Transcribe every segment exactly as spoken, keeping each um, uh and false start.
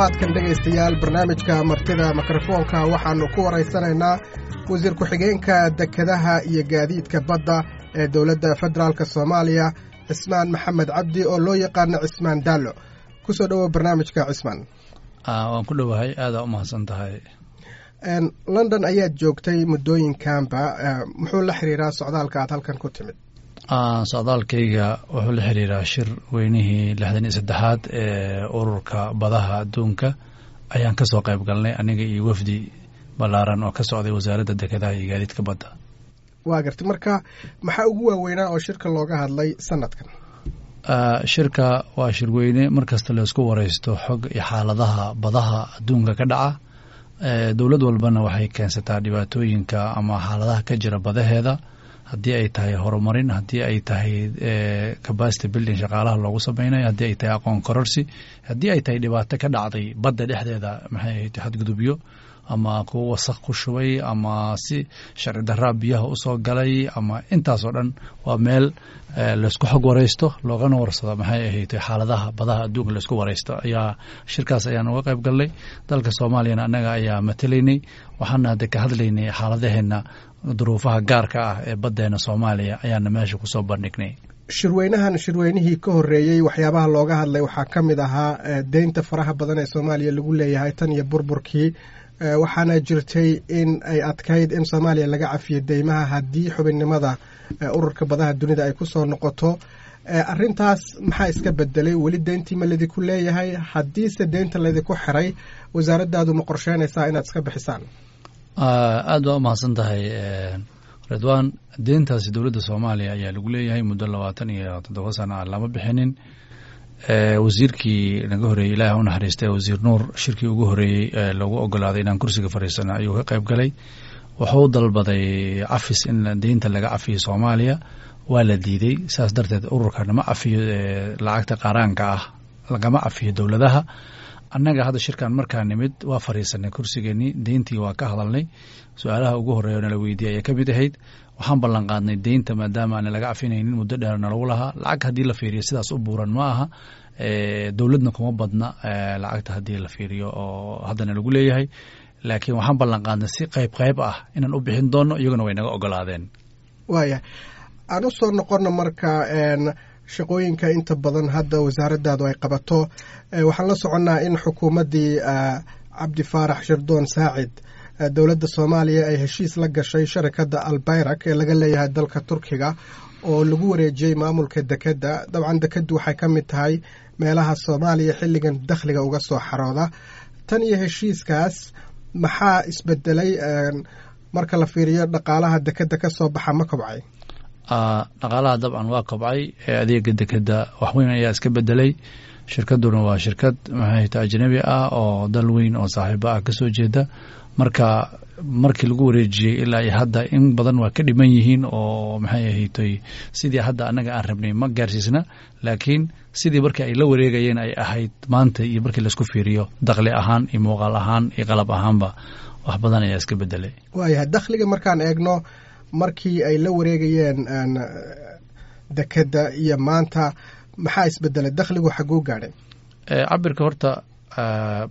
Toddobaadkan, dhegaystayaal, barnaamijka Martida Mikrofoonka waxaannu ku waraysanaynaa wasiir ku-xigeenka dekedaha iyo gaadiidka badda ee dowladda federaalka Soomaaliya, Cismaan Maxamed Cabdi oo loo yaqaano Cismaan Daallo. Kusoo dhowow barnaamijka, Cismaan. Waan ku dhowahay, aadaa u mahadsan tahay. London ayaad joogtay muddooyinkanba. Muxuu la xiriiraa socdaalka aad halkan ku timid? Socdaalkayga wuxuu la xiriiraa shir weynihii lixdan iyo saddexaad ee Ururka Badaha Adduunka ayaan ka soo qayb galnay, aniga iyo wafdi ballaaran oo ka socday Wasaaradda Dekedaha iyo Gaadiidka Badda. Waa gartay. Marka maxaa ugu waaweynaa oo shirka looga hadlay sanadkan? Shirka waa shirweyne mar kasta laysku wareysto xog iyo xaaladaha badaha adduunka ka dhaca. Dowlad walbana waxay keensataa dhibaatooyinka ama xaaladaha ka jira badaheeda, haddii ay tahay horumarin, haddii ay tahay capacity building shaqaalaha loogu sameynayo, haddii ay tahay aqoon kororsi, haddii ay tahay dhibaato ka dhacday badda dhexdeeda, maxay ahayd, xadgudubyo ama kuwo wasaq ku shubay ama si sharci daraa biyaha usoo galay ama intaasoo dhan. Waa meel laysku xog wareysto loogana warsado, maxay ahayd, xaaladaha badaha adduunka laysku wareysto ayaa shirkaas ayaan uga qayb galnay. Dalka Soomaaliyana annaga ayaa matalaynay, waxaana hadda ka hadlaynay xaaladaheena, duruufaha gaarka ah ee baddeena Soomaaliya ayaana meesha kusoo bandhignay. Shirweynahan, shirweynihii ka horreeyey, waxyaabaha looga hadlay waxaa ka mid ahaa deynta faraha badan ee Soomaaliya lagu leeyahay tan iyo burburkii, waxaana jirtay in ay adkayd in Soomaaliya laga cafiyo deymaha haddii xubinnimada Ururka Badaha Dunida ay ku soo noqoto. Arrintaas maxaa iska bedelay? Weli deyntii ma laydinku leeyahay? Haddiise deynta laydinku xiray, wasaaraddaadu ma qorsheynaysaa inaad iska bixisaan? Aad baa u mahadsan tahay, Ridwaan. Deyntaasi dowladda Soomaaliya ayaa lagu leeyahay, muddo labaatan iyo toddoba sana ah lama bixinin. Wasiirkii naga horreeyey, Ilaah u naxariistay, Wasiir Nuur, shirkii ugu horreeyey ee lagu ogolaaday inaan kursiga fadhiisano ayuu ka qayb galay. Wuxuu dalbaday cafis, in deynta laga cafiyo Soomaaliya. Waa la diiday. Saas darteed ururkana ma cafiyo lacagta qaaraanka ah, lagama cafiyo dowladaha. Annaga hadda shirkan markaa nimid waa fadhiisanay kursigeenii, deyntii waa ka hadalnay. Su-aalaha ugu horreeya nala weydiiyey ayay ka mid ahayd. Waxaan ballan qaadnay deynta maadaama aana laga cafinaynin, muddo dheer nalagu lahaa, lacag haddii la fiiriyo sidaas u buuran ma aha, dowladna kuma badna lacagta haddii la fiiriyo oo haddana lagu leeyahay, laakiin waxaan ballan qaadnay si qayb qayb ah inaan u bixin doono. Iyaguna way naga ogolaadeen. Waaya, aan u soo noqono marka shaqooyinka inta badan hadda wasaaraddaadu ay qabato. Waxaan la soconnaa in xukuumaddii Cabdi Faarax Shirdoon Saacid dowladda Soomaaliya ay heshiis la gashay sharikadda Albayrak ee laga leeyahay dalka Turkiga oo lagu wareejiyey maamulka dekedda. Dabcan dekeddu waxay ka mid tahay meelaha Soomaaliya xilligan dakhliga uga soo xarooda. Tan iyo heshiiskaas maxaa isbedelay marka la fiiriyo dhaqaalaha dekedda ka soo baxa? Ma kobcay? Dhaqaalaha dabcan waa kobcay. Adeega dekedda wax weyn ayaa iska bedelay. Shirkadduna waa shirkad, maxay ta, ajnabi ah oo dal weyn oo saaxiibo ah kasoo jeeda. Marka markii lagu wareejiyey ilaa iyo hadda in badan waa ka dhiman yihiin oo, maxay ahaytoy, sidii hadda annaga aan rabnay ma gaarsiisna, laakiin sidii markii ay la wareegayeen ay ahayd maanta iyo markii laisku fiiriyo, dakhli ahaan iyo muuqaal ahaan iyo qalab ahaanba wax badan ayaa iska bedelay. Waayahay, dakhliga markaan eegno markii ay la wareegayeen dekedda iyo maanta, maxaa isbedelay? Dakhligu xaguu gaadhay? Cabirka horta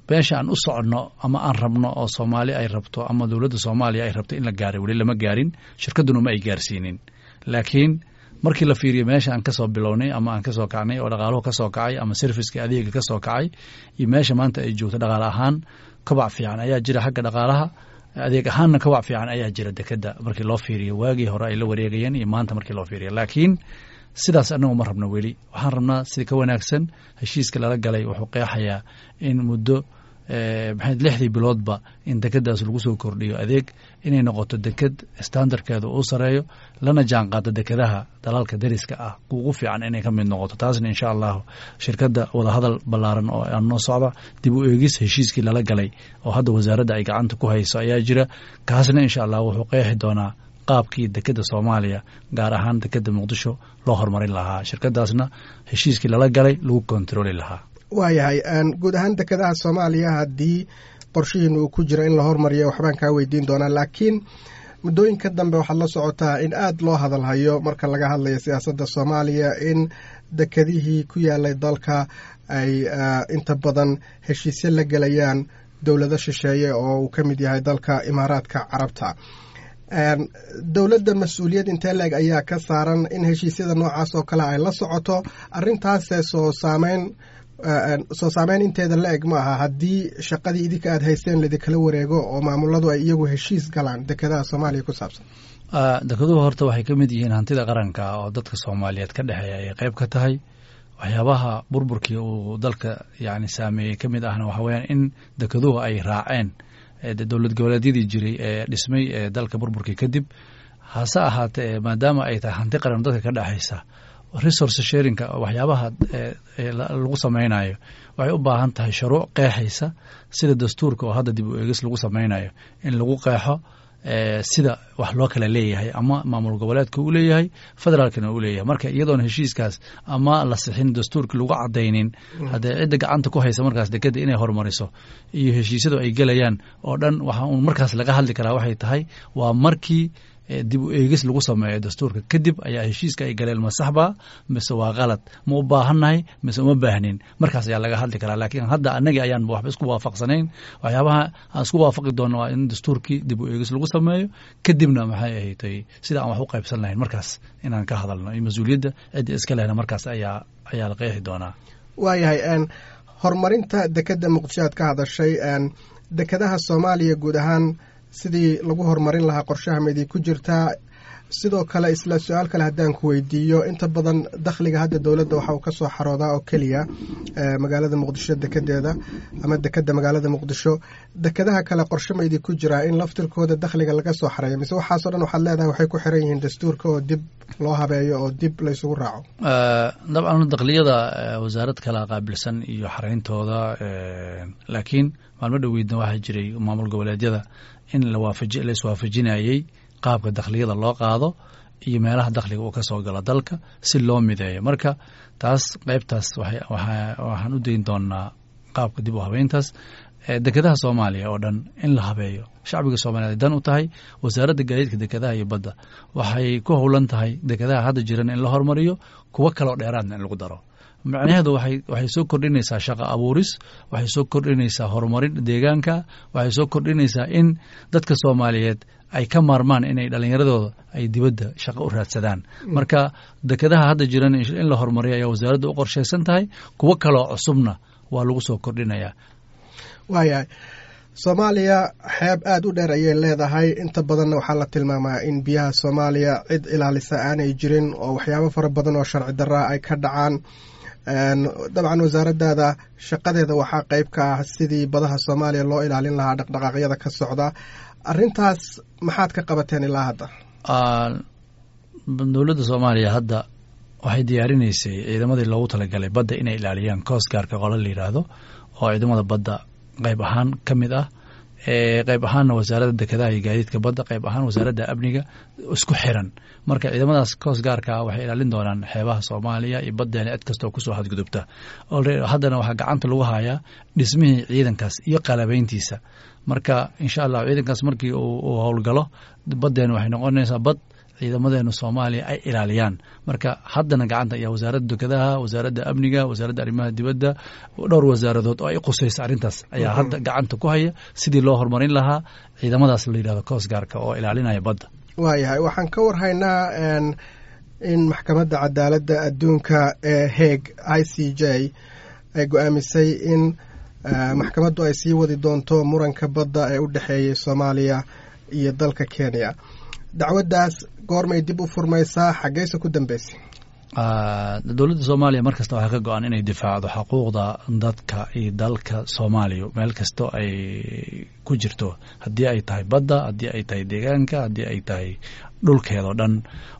meesha aan u soconno ama aan rabno oo Soomaali ay rabto ama dowladda Soomaaliya ay rabto in la gaaray weli lama gaarin, shirkadduna ma ay gaarsiinin. Laakiin markii la fiiriyo meesha aan kasoo bilownay ama aan kasoo kacnay oo dhaqaaluhu kasoo kacay ama serviceka adeega kasoo kacay iyo meesha maanta ay joogto dhaqaale ahaan, kobac fiican ayaa jira xagga dhaqaalaha. Adeeg ahaanna kobac fiican ayaa jira dekedda markii loo fiiriyo waagii hore ay la wareegayeen iyo maanta markii loo fiiriyo. Laakiin sidaas annagu ma rabno weli, waxaan rabnaa sida ka wanaagsan. Heshiiska lala galay wuxuu qeexayaa in muddo, maxay, lixdii biloodba in dekeddaas lagu soo kordhiyo adeeg, inay noqoto deked standardkeeda uu sareeyo, lana jaan qaado dekedaha dalalka deriska ah ugu fiican inay ka mid noqoto. Taasna insha Allahu shirkadda wadahadal ballaaran oo aan noo socda, dib u eegis heshiiskii lala galay oo hadda wasaaradda ay gacanta ku hayso ayaa jira. Kaasna insha Allah wuxuu qeexi doonaa qaabkii dekedda Soomaaliya, gaar ahaan dekedda Muqdisho, loo horumarin lahaa, shirkadaasna heshiiskii lala galay lagu kontarooli lahaa. Waayahay, guud ahaan dekedaha Soomaaliya haddii qorshihiina uu ku jiro in la hormariyo waxbaan kaa weydiin doonaa, laakiin Muddooyinka dambe waxaad la socotaa in aada loo hadalhayo marka laga hadlayo siyaasadda Soomaaliya in dekedihii ku yaalay dalka ay inta badan heshiisyo la gelayaan dowlado shisheeye oo uu ka mid yahay dalka Imaaraadka Carabta. Dowladda mas-uuliyad intee leeg ayaa ka saaran in heshiisyada noocaas oo kale ay la socoto arrintaase? Soo saameyn soo saameyn inteeda la eg ma aha haddii shaqadii idinka aada haysteen laidinkala wareego oo maamuladu ay iyagu heshiis galaan dekedaha Soomaaliya ku saabsan? Dekeduhu horta waxay ka mid yihiin hantida qaranka oo dadka Soomaaliyeed ka dhexeeya ay qayb ka tahay. Waxyaabaha burburkii uu dalka yani saameeyey ka mid ahna waxa weyaan in dekeduhu ay raaceen dowlad goboleedyadii jiray ee dhismay ee dalka burburkii kadib. Hase ahaatee, maadaama ay tahay hanti qaran dadka ka dhexaysa, resource sharingka waxyaabaha lagu samaynayo waxay u baahan tahay shuruuc qeexaysa, sida dastuurka oo hadda dib u eegis lagu samaynayo, in lagu qeexo sida wax loo kala leeyahay, ama maamul goboleedka uu leeyahay, federaalkana uu leeyahay. Marka iyadoon heshiiskaas ama la sixin, dastuurka lagu cadaynin, haddee cidda gacanta ku haysa markaas dekeda inay horumariso iyo heshiisyadu ay gelayaan oo dhan, waxa uun markaas laga hadli karaa waxay tahay waa markii dib u eegis lagu sameeyo dastuurka kadib ayaa heshiiska ay galeen ma saxba mise waa qalad, ma u baahannahay mise uma baahnin, markaas ayaa laga hadli karaa. Laakiin hadda annagii ayaanba waxba isku waafaqsanayn. Waxyaabaha aan isku waafaqi doonno waa in dastuurkii dib u eegis lagu sameeyo, kadibna maxay ahatay sida aan wax u qaybsan lahayn markaas inaan ka hadalno, iyo mas-uuliyadda cidda iska lehna markaas ayaa ayaa la qeexi doonaa. Waayahay, horumarinta dekeda Muqdisho aad ka hadashay, dekedaha Soomaaliya guud ahaan sidii lagu horumarin lahaa qorshaha maidii ku jirtaa? Sidoo kale, isla su-aal kale haddaan ku weydiiyo, inta badan dakhliga hadda dowladda waxa uu ka soo xaroodaa oo keliya magaalada Muqdisho dekedeeda ama dekeda magaalada Muqdisho. Dekedaha kale qorshe ma idin ku jiraa in laftirkooda dakhliga laga soo xareeyo, mise waxaasoo dhan waxaad leedahay waxay ku xiran yihiin dastuurka oo dib loo habeeyo oo dib laysugu raaco? Dabcan, dakhliyada wasaarad kala qaabilsan iyo xareyntooda, laakiin maalmo dhoweydna waxaa jiray maamul goboleedyada in lawaafaji la iswaafajinayey qaabka dakhliyada loo qaado iyo meelaha dakhliga uu ka soo galo dalka si loo mideeyo. Marka taas qaybtaas waxaan u dayn doonaa qaabka dib u habeyntaas dekedaha Soomaaliya oo dhan in la habeeyo shacbiga Soomaliyeed dan u tahay. Wasaaradda Gaadiidka, Dekedaha iyo Badda waxay ku howlan tahay dekedaha hadda jiran in la horumariyo, kuwo kaloo dheeraadna in lagu daro. Macnaheedu waxay waxay soo kordhinaysaa shaqo abuuris, waxay soo kordhinaysaa horumarin deegaanka, waxay soo kordhinaysaa in dadka Soomaaliyeed ay ka maarmaan inay dhallinyaradooda ay dibadda shaqo u raadsadaan. Marka dekedaha hadda jiran in la horumariyo ayaa wasaaradda u qorshaysan tahay, kuwo kaloo cusubna waa lagu soo kordhinayaa. Waayahay, Soomaaliya xeeb aada u dheer ayay leedahay. Inta badanna waxaa la tilmaamaa in biyaha Soomaaliya cid ilaalisa aanay jirin oo waxyaabo fara badan oo sharci darraa ay ka dhacaan. Dabcan, wasaaraddaada shaqadeeda waxaa qayb ka ah sidii badaha Soomaaliya loo ilaalin lahaa dhaqdhaqaaqyada ka socda. Arrintaas maxaad ka qabateen ilaa hadda? Dowladda Soomaaliya hadda waxay diyaarinaysay ciidamadii loogu talagalay badda inay ilaaliyaan, coast guardka qola la yidhaahdo, oo ciidamada badda qayb ahaan ka mid ah, qayb ahaanna Wasaaradda Dekedaha iyo Gaadiidka Badda, qayb ahaan Wasaaradda Amniga isku xiran. Marka ciidamadaas coast guardka waxay ilaalin doonaan xeebaha Soomaaliya iyo baddeena cid kastoo kusoo xadgudubta. Haddana waxaa gacanta lagu hayaa dhismihii ciidankaas iyo qalabeyntiisa. Marka insha Allah ciidankaas markii uu howlgalo, baddeena waxay noqonaysaa bad ciidamadeena Soomaaliya ay ilaaliyaan. Marka haddana gacanta ayaa Wasaaradda Dekedaha, Wasaaradda Amniga, Wasaaradda Arrimaha Dibadda, dhowr wasaaradood oo ay qusaysa arrintaas ayaa hadda gacanta ku haya sidii loo horumarin lahaa ciidamadaas la yidhahdo coast guardka oo ilaalinaya badda. Waayahay, waxaan ka warhaynaa in Maxkamadda Cadaaladda Adduunka ee Hague, I C J, ay go-aamisay in maxkamaddu ay sii wadi doonto muranka badda ee u dhexeeyay Soomaaliya iyo dalka Kenya. Dacwaddaas goormay dib u furmaysaa? Xaggeyse ku dambeysay? Dowladda Soomaaliya mar kasta waxaa ka go-an inay difaacdo xuquuqda dadka iyo dalka Soomaaliya meel kastoo ay ku jirto, haddii ay tahay badda, haddii ay tahay deegaanka, haddii ay tahay dhulkeedao dhan.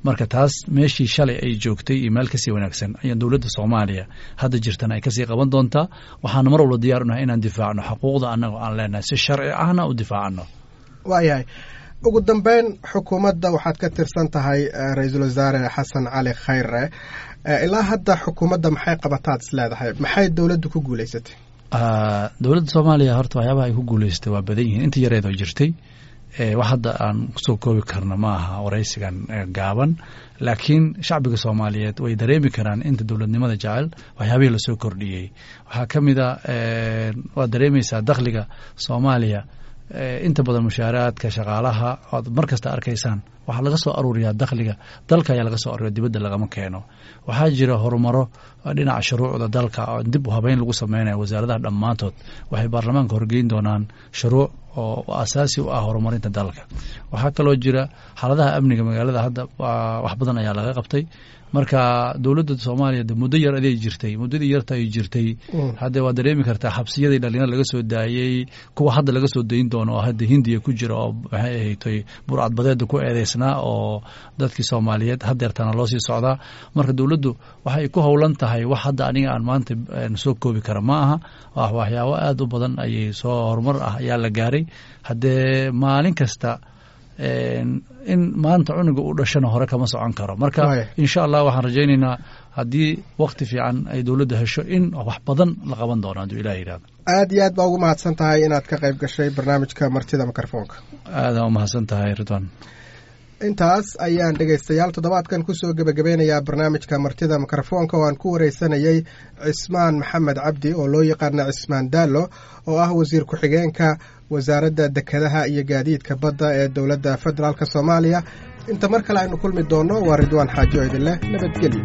Marka taas meeshii shalay ay joogtay iyo meel kasii wanaagsan ayaa dowladda Soomaaliya hadda jirtana ay kasii qaban doontaa. Waxaana mar walba diyaar unahay inaan difaacno xuquuqda annaga aan leenahay, si sharci ahna u difaacano. Waayahay, ugu dambeyn, xukuumadda waxaad ka tirsan tahay Ra-iisul Wasaare Xasan Cali Khayre. Ilaa hadda xukuumadda maxay qabataad is leedahay? Maxay dowladdu ku guuleysatay? Dowladda Soomaaliya horta waxyaabaha ay ku guuleysatay waa badan yihiin inta yareed oo jirtay. Wax hadda aan kusoo koobi karno ma aha waraysigan gaaban, laakiin shacbiga Soomaaliyeed way dareemi karaan inta dowladnimada jecel waxyaabihii lasoo kordhiyey. Waxaa ka mid a, waad dareemaysaa dakhliga Soomaaliya, inta badan mushaaraadka shaqaalaha oad mar kasta arkaysaan waxaa laga soo aruuriyaa dakhliga dalka ayaa laga soo aruuriya, dibadda lagama keeno. Waxaa jira horumaro dhinaca shuruucda dalka oo dib u habeyn lagu sameynayo. Wasaaradaha dhammaantood waxay baarlamaanka horgeyn doonaan shuruuc oo asaasi u ah horumarinta dalka. Waxaa kaloo jira xaaladaha amniga magaalada, hadda wax badan ayaa laga qabtay. Marka dowladda Soomaaliya de muddo yar aday jirtay, muddadii yarta ay jirtay hadde waad dareemi kartaa xabsiyadii dhalinyar laga soo daayey, kuwa hadda laga soo dayn doono oo hadda Hindiya ku jira oo maxay ahatay burcadbadeeda ku eedeysnaa oo dadkii Soomaaliyeed hadeertana loo sii socdaa. Marka dowladdu waxay ku howlan tahay wax hadda aniga aan maanta soo koobi kara ma aha, waxyaabo aad u badan ayay soo horumar ah ayaa la gaaray. Haddee maalin kasta in maanta cunuga u dhashana hore kama socon karo. Marka insha Allah waxaan rajaynaynaa haddii wakti fiican ay dowladda hesho in wax badan la qaban doono hadduu Ilah yidhahdo. Aad iyo aad baa ugu mahadsan tahay inaad ka qayb gashay barnaamijka martida mikrofoonka. Aadaan u mahadsan tahay, Ridwan. Intaas ayaan dhegaystayaal toddobaadkan kusoo gebagabeynayaa barnaamijka martida mikrofoonka oo aan ku wareysanayey Cismaan Maxamed Cabdi oo loo yaqaana Cismaan Daallo, oo ah wasiir ku-xigeenka wasaaradda dekedaha iyo gaadiidka badda ee dowladda federaalk Soomaaliya. Inta mar kale aynu kulmi doonno, waa Ridwaan Xaaji oo idin leh nabadgelyo.